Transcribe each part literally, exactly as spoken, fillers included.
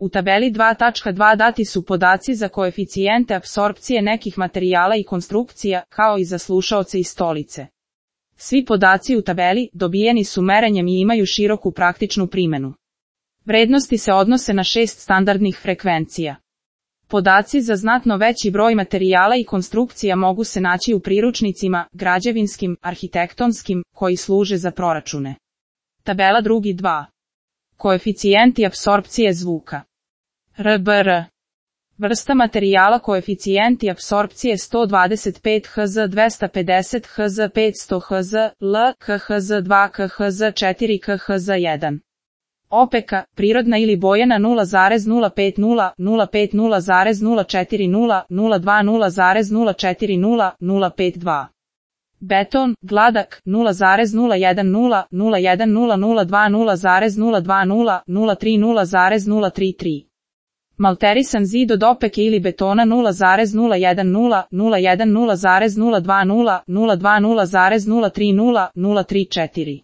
U tabeli dva tačka dva dati su podaci za koeficijente apsorpcije nekih materijala i konstrukcija, kao i za slušaoce i stolice. Svi podaci u tabeli dobijeni su merenjem i imaju široku praktičnu primjenu. Vrednosti se odnose na šest standardnih frekvencija. Podaci za znatno veći broj materijala i konstrukcija mogu se naći u priručnicima, građevinskim, arhitektonskim, koji služe za proračune. Tabela drugi dva. Koeficijenti apsorpcije zvuka. R B R. Vrsta materijala koeficijenti apsorpcije sto dvadeset pet hertz, dvesta pedeset hertz, petsto hertz, L, K H Z dva, K H Z četiri, K H Z jedan. Opeka, prirodna ili bojena nula zarez nula pedeset, nula pedeset zarez nula četrdeset, nula dvadeset zarez nula četrdeset, nula pedeset dva. Beton, gladak, nula zarez nula jedan nula, nula jedan nula nula dvadeset zarez nula dvadeset, nula trideset zarez nula trideset tri. Malterisan zid od opeke ili betona nula zarez nula jedan nula, nula jedan zarez nula dvadeset, nula dvadeset zarez nula trideset, nula trideset četiri.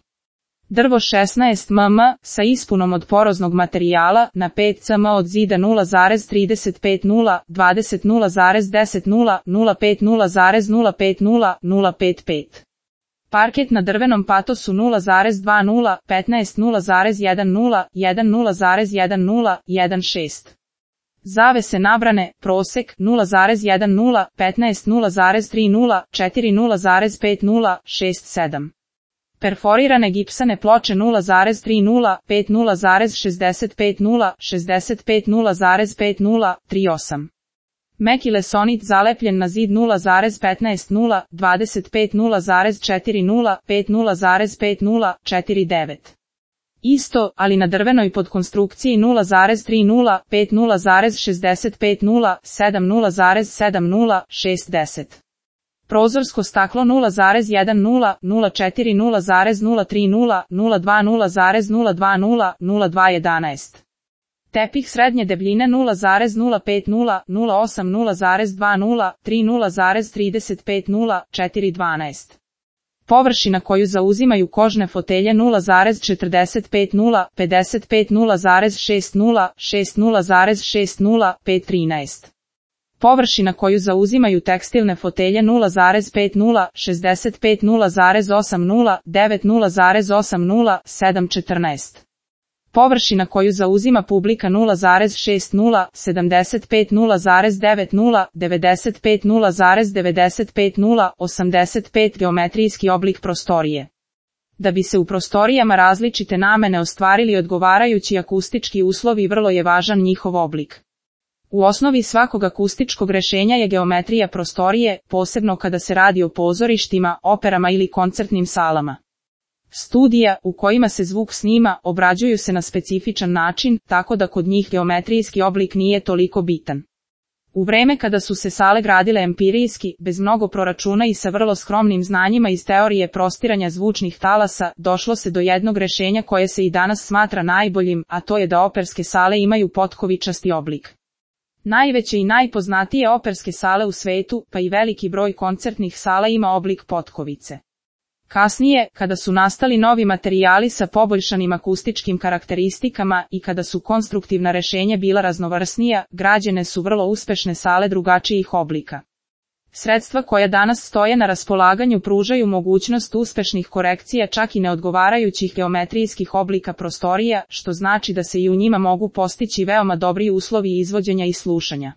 Drvo šesnaest milimetara, sa ispunom od poroznog materijala, na pet centimetara od zida nula zarez trideset pet nula, dvadeset nula zarez deset nula, nula pedeset zarez nula pedeset, nula pedeset pet. Parket na drvenom patosu nula zarez dvadeset, petnaest nula zarez jedan, jedan nula zarez jedan, jedan šest. Zavese nabrane, prosek, nula zarez jedan nula, petnaest nula zarez tri nula, četiri nula zarez pet nula, šest sedam. Perforirane gipsane ploče nula zarez tri nula, pet nula zarez šezdeset pet nula, šezdeset pet nula zarez pet nula, tri osam. Meki lesonit zalepljen na zid nula zarez petnaest nula, dvadeset pet nula zarez četiri nula, pet nula zarez pet nula, četiri devet. Isto, ali na drvenoj podkonstrukciji nula zarez tri nula, pet nula zarez šezdeset pet nula, sedam nula zarez sedam nula, šest deset. Prozorsko staklo nula zarez jedan nula, nula četiri nula zarez nula tri nula, nula dva nula zarez nula dva nula, nula dva jedanaest. Tepih srednje debljine nula zarez nula pet nula, nula osam nula zarez dva nula, tri nula zarez trideset pet nula, četiri dvanaest. Površina koju zauzimaju kožne fotelje nula zarez četrdeset pet nula, pedeset pet nula zarez šest nula, šest nula zarez šest nula, pet trinaest. Površina koju zauzimaju tekstilne fotelje nula zarez pet nula, šezdeset pet nula zarez osam nula, devet nula zarez osam nula, sedam četrnaest. Površina koju zauzima publika nula zarez šest nula, sedamdeset pet nula zarez devet nula, devedeset pet nula zarez devedeset pet nula, osamdeset pet geometrijski oblik prostorije. Da bi se u prostorijama različite namene ostvarili odgovarajući akustički uslovi, vrlo je važan njihov oblik. U osnovi svakog akustičkog rešenja je geometrija prostorije, posebno kada se radi o pozorištima, operama ili koncertnim salama. Studija, u kojima se zvuk snima, obrađuju se na specifičan način, tako da kod njih geometrijski oblik nije toliko bitan. U vreme kada su se sale gradile empirijski, bez mnogo proračuna i sa vrlo skromnim znanjima iz teorije prostiranja zvučnih talasa, došlo se do jednog rešenja koje se i danas smatra najboljim, a to je da operske sale imaju potkovičasti oblik. Najveće i najpoznatije operske sale u svetu, pa i veliki broj koncertnih sala ima oblik potkovice. Kasnije, kada su nastali novi materijali sa poboljšanim akustičkim karakteristikama i kada su konstruktivna rešenja bila raznovrsnija, građene su vrlo uspešne sale drugačijih oblika. Sredstva koja danas stoje na raspolaganju pružaju mogućnost uspešnih korekcija čak i neodgovarajućih geometrijskih oblika prostorija, što znači da se i u njima mogu postići veoma dobri uslovi izvođenja i slušanja.